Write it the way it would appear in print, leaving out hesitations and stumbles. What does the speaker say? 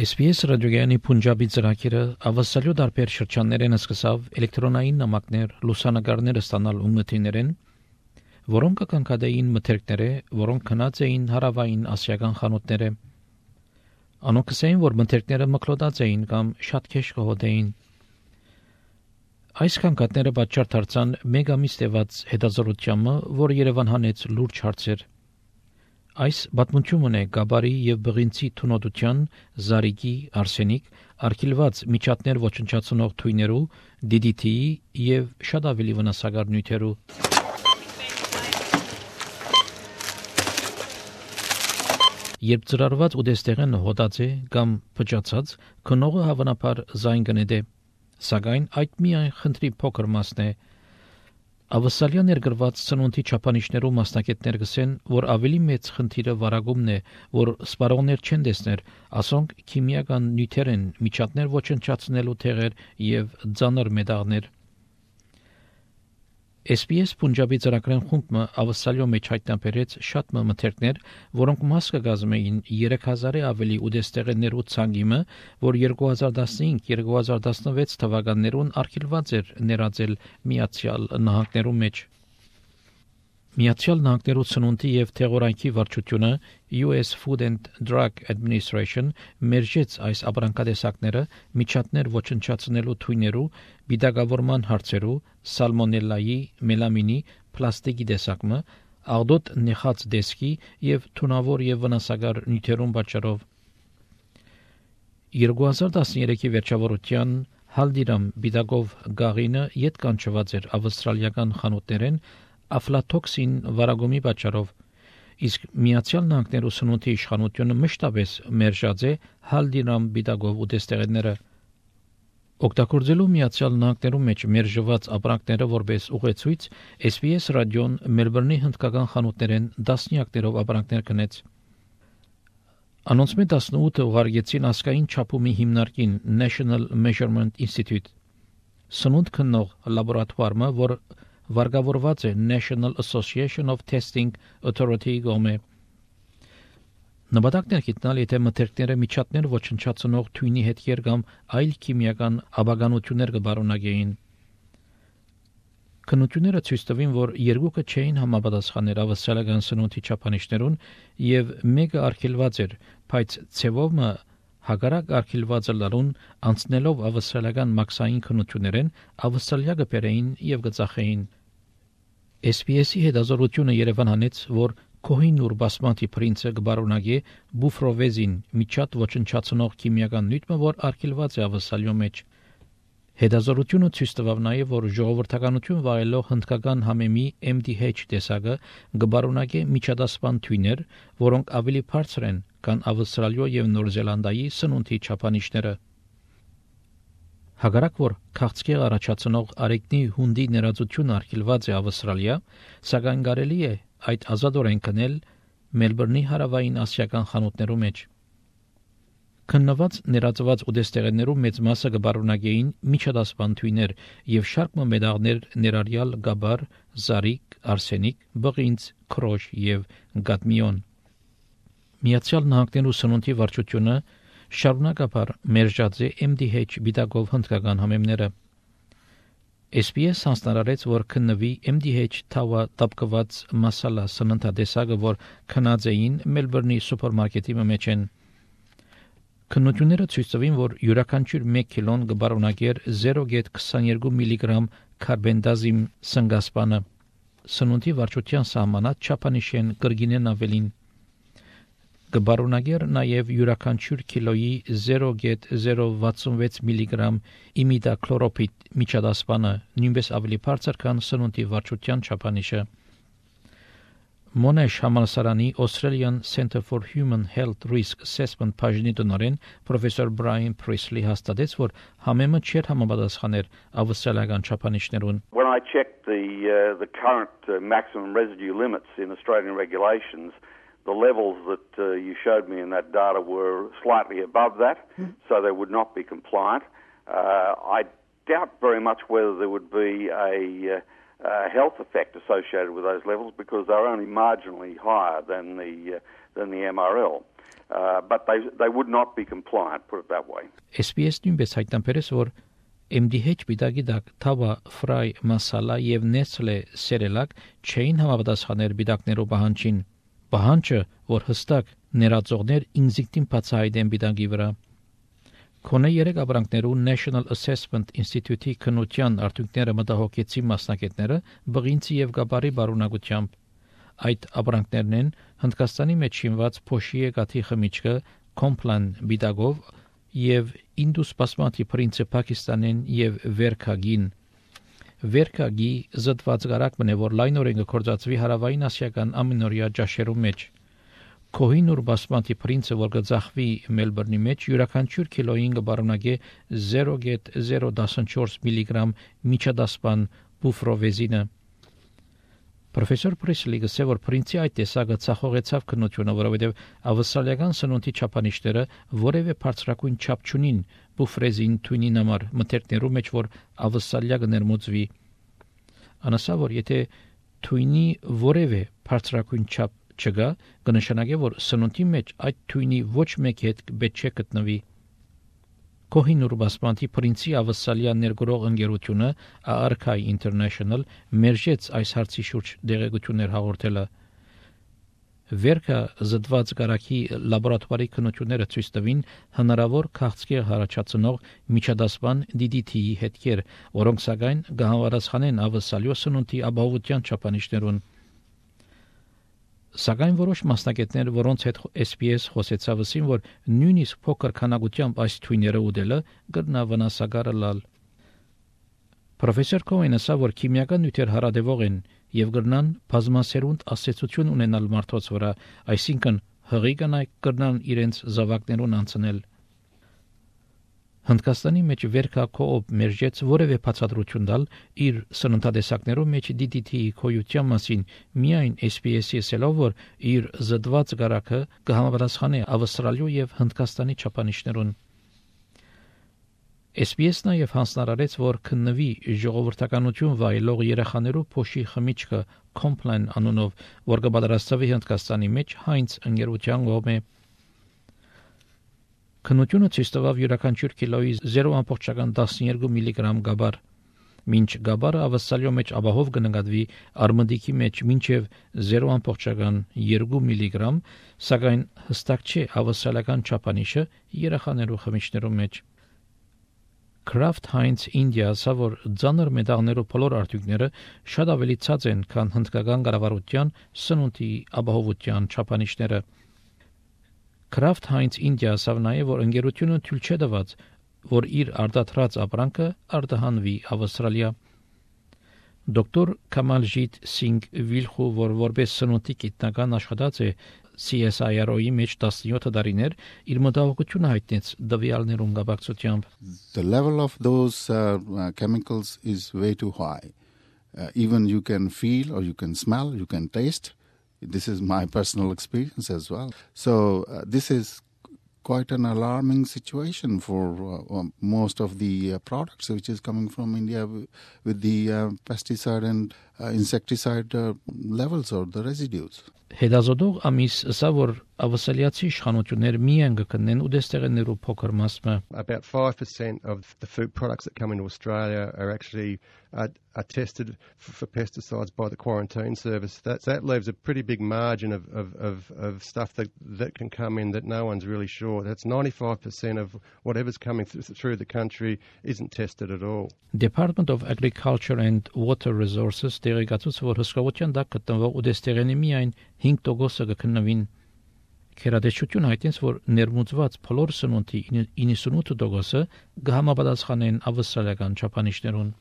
SPS ռադիոյանի Punjabi ծրագիրը ավասալյո դարբեր շրջաններեն սկսավ էլեկտրոնային նամակներ, լուսանկարներ ստանալ ունմթիներեն, որոնք կկնկադեին մթերքները, որոնք քնած էին հարավային ասիական խանութները։ Անոնք ասեին, որ մթերքները մկլոդած էին կամ շատ քեշ կհոդեին։ Այս կնկադները պատճառ դարձան մեկ ամիս տևած հետազոտությանը, որ Երևան հանեց լուրջ հարցեր։ Այս պատմությունն է Գաբարի եւ Բղինցի թունոտության, Զարիկի, Արսենիկ, արգելված միջատներ ոչնչացնող թույներու, DDT-ի եւ շատ ավելի վնասակար նյութերու։ Երբ ծրարված ուտեստեղեն հոտած է կամ փճացած, քնողը հավանաբար զայն կնետե, սակայն այդ միայն խնդրի փոքր մասն է։ Ավասալյա ներգրված ծնունդի չափանիշներու մասնակիցներ գսեն, որ ավելի մեծ խնդիրը վարագումն է, որ սպառողներ չեն տեսներ, ասոնք քիմիական նյութեր են, միջատներ ոչնչացնելու թեղեր եւ ծանր մետաղներ։ SPS Punjabi ծրագրեն խումբը ավասալյո մեջ հայտնաբերեց շատ մթերքներ, որոնք մաս կգազմեին 3000-ը ավելի ուտեստեղեններու ցանգիմը, որ 2015-2016 թվականներուն արգելված էր ներածել Միացյալ Նահանգներու մեջ։ Միացյալ Նահանգներու ծնունդի եւ թեղորայքի վարչությունը US Food and Drug Administration մերժեց այս ապրանքատեսակները միջատներ ոչնչացնելու թույներու, բիդագավորման հարցերու, սալմոնելլայի, մելամինի, պլաստիկի տեսակը, աղդոտ նեխած դեսկի եւ թունավոր եւ վնասակար նյութերուն պատճառով։ 2013-ի վերջավորության Հալդիրամ բիդագով գաղինը ետ կանչված էր ավստրալիական խանութներեն աֆլատոքսին վարագումի պատճառով, իսկ Միացյալ Նահանգներու սնունդի իշխանությունը մշտապես մերժած է Հալդիրամ բիդագով ուտեստեղենները։ Օգտագործելու Միացյալ Նահանգներու մեջ մերժված ապրանքները որպես ուղեցույց SPS ռադիոն Մելբուրնի հնդկական խանութներեն դասնյակներով ապրանքներ կնեց։ Անոնց 18-ը ուղարկեցին ասկային չափումի հիմնարկին National Measurement Institute։ Սնունդ քննող լաբորատվարը, որ վարկավորված է National Association of Testing Authority գոմե։ Նպատակն է գտնել, եթե մթերքները միջատներ ոչնչացնող թույնի հետքեր կամ այլ քիմիական աբականություններ կբարունագեին։ Քննությունները ցույց տվին, որ երկուքը չէին համապատասխաներ ավասալական սնունդի չափանիշներուն եւ մեկը արգելված էր, բայց ցևոմը հագարակ արգելվածը լարուն անցնելով ավասալական մաքսային քննություններեն ավասալյա կբերեին եւ կծախեին։ SPS-ի հետազոտությունը Երևան հանեց, որ Կոհինուր բասմատի պրինցը կբարունագե բուֆրովեզին միջատ ոչնչացնող քիմիական նյութը, որ արգելված է ավասալյո մեջ։ Հետազոտությունը ցույց տվավ նաև, որ ժողովրդականություն վայելող հնդկական համեմի MDH տեսակը կբարունագե միջադասպան թույներ, որոնք ավելի բարձր են, քան ավստրալիո եւ Նոր Զելանդիայի սնունդի չափանիշները։ Հակառակ որ քաղցկեղ առաջացնող արեկնի հունդի ներածությունը արգելված է Ավստրալիա, սակայն կարելի է այդ ազատորեն կնել Մելբուրնի հարավային ասիական խանութներու մեջ։ Քննված ներածված ուտեստեղեններու մեծ մասը կբարունագեին միջադասպան թույներ եւ շարք մետաղներ ներառյալ գաբար, զարիկ, արսենիկ, բղինց, քրոշ եւ գադմիոն։ Միացյալ Նահանգներու սնունդի վարչությունը շարունակաբար մերժած է MDH բիդագով հնդկական համեմները։ SPS հանձնարարեց, որ քննվի MDH թավա տապկված մասալա սննդատեսակը, որ քնած էին Մելբուրնի սուպերմարկետի մեջ են։ Քննությունները ցույց տվին, որ յուրաքանչյուր 1 կիլոն կբարունագեր 0.22 միլիգրամ կարբենդազիմ սնգասպանը։ Սնունդի վարչության սահմանած չափանիշեն կրգինեն ավելին։ Կբարունագեր նաև յուրաքանչյուր կիլոյի 0.066 միլիգրամ իմիդակլորոպիդ միջադասպանը, նույնպես ավելի բարձր, քան սնունդի վարչության չափանիշը։ Մոնեշ համալսարանի Australian Center for Human Health Risk Assessment բաժնի տնօրեն պրոֆեսոր Brian Priestley հաստատեց, որ համեմը չէր համապատասխաներ ավստրալիական չափանիշներուն։ When I checked the current maximum residue limits in Australian regulations, the levels that you showed me in that data were slightly above that, so they would not be compliant. I doubt very much whether there would be health effect associated with those levels because they're only marginally higher than the MRL. But they would not be compliant, put it that way. SPS նույնպես հայտնաբերեց, որ MDH բիդագիդակ թավա ֆրայ մասալա եւ Nestle սերելակ չէին համապատասխաներ բիդակներով պահանջին։ Պահանջը, որ հստակ ներածողներ ինզիկտին բացահայտեն բիդագի վրա։ Քոնե 3 ապրանքներու National Assessment Institute-ի քննության արդյունքները մտահոգեցի մասնակիցները բղինցի եւ գաբարի բարունակությամբ։ Այդ ապրանքներն են Հնդկաստանի մեջ շինված փոշի գաթի խմիչքը Complan բիդագով եւ Indus Basmati Prince Pakistanեն եւ Verkagin։ Verkagi զտված գարակ մնե որ լայնորեն գործածվի հարավային ասիական ամենօրյա ջաշերու մեջ։ Kohinoor Basmati Prince որ գծախվի Մելբուրնի մեջ յուրաքանչյուր կիլոին կբարունագե 0.014 միլիգրամ միջադասպան բուֆրովեզինը։ Պրոֆեսոր Պրեսլի գսե որ Prince-ի այդ տեսակը ցախողեցավ քննությունը, որովհետև ավստրալիական սնունդի չափանիշները որևէ բարձրակույն չափ չունին բուֆրեզին թույնին համար մթերքներու մեջ որ ավստրալիա կներմուծվի։ Անասա որ եթե թույնի որևէ բարձրակույն չափ չգա, կնշանակի որ սնունդի մեջ այդ թույնի ոչ մեկ հետ պետք չէ գտնվի։ Kohinoor Basmati Prince-ի ավստրալիա ներգրող ընկերությունը Arkai International մերժեց այս հարցի շուրջ դեղեցություններ հաղորդելը։ Վերքա զտված գարակի լաբորատորի քննությունները ցույց տվին հնարավոր քաղցկեղ հարաճացնող միջադասպան DDT-ի հետքեր, որոնք սակայն կհամապատասխանեն ավստրալիա սնունդի ապահովության չափանիշներուն։ Սակայն որոշ մասնակիցներ, որոնց հետ SPS խոսեցավ, ասին, որ նույնիսկ փոքր քանակությամբ այս թույները ուտելը կգնա վնասակար լալ։ Պրոֆեսոր Քոենը ասա, որ քիմիական նյութեր հարադեվող են եւ կգնան բազմասերունդ ասացություն ունենալ մարդոց վրա, այսինքն հղի կանայք կգնան իրենց զավակներուն անցնել։ Հնդկաստանի մեջ Վերքա կոոպ մերժեց որևէ բացատրություն տալ իր սննդատեսակներով մեջ DDT-ի քոյության մասին, միայն SPS-ի ասելով, որ իր զտված գարակը կհամապատասխանի Ավստրալիա եւ Հնդկաստանի չափանիշներուն։ SPS-ն նաև հանձնարարեց, որ քննվի ժողովրդականություն վայելող երեխաներու փոշի խմիչքը Complan անունով, որ կպատրաստվի Հնդկաստանի մեջ Heinz ընկերության կողմէ։ Քննությունը ցույց տվավ յուրաքանչյուր կիլոյի 0.12 միլիգրամ գաբար։ Մինչ գաբարը ավստրալիա մեջ ապահով կնկատվի արմդիկի մեջ մինչև 0.2 միլիգրամ, սակայն հստակ չէ ավստրալիական չափանիշը երեխաներու խմիչներու մեջ։ Kraft Heinz India ասա, որ ծանր մետաղներու բոլոր արդյունքները շատ ավելի ցած են, քան հնդկական կառավարության սնունդի ապահովության չափանիշները։ Kraft Heinz India ասա նաև, որ ընկերությունը թույլ չէ տված, որ իր արտադրած ապրանքը արտահանվի Ավստրալիա։ Դոկտոր Կամալջիտ Սինգ Վիլխու, որ որպես սնունդի գիտնական աշխատած է CSIRO-ի մեջ 17 տարիներ, իր մտահոգությունը հայտնեց դվյալներուն կապակցությամբ։ The level of those chemicals is way too high. Even you can feel or you can smell, you can taste. This is my personal experience as well. So this is quite an alarming situation for most of the products which is coming from India with the pesticide and insecticide levels or the residues. Հետազոտող ամիս ասա, որ ավստրալիացի իշխանություններ միայն կգտնեն ուտեստեղեններու փոքր մասը։ About 5% of the food products that come into Australia are actually are tested for pesticides by the quarantine service. That leaves a pretty big margin of stuff that can come in that no one's really sure. That's 95% of whatever's coming through the country isn't tested at all. Department of Agriculture and Water Resources տեղեկացուց, որ հսկողության դակ գտնվող ուտեստեղենի միայն 5% կքննվին։ Քերադեշություն հայտնեց, որ ներմուծված բոլոր սնունդի 98% կհամապատասխանեն ավստրալիական չափանիշներուն։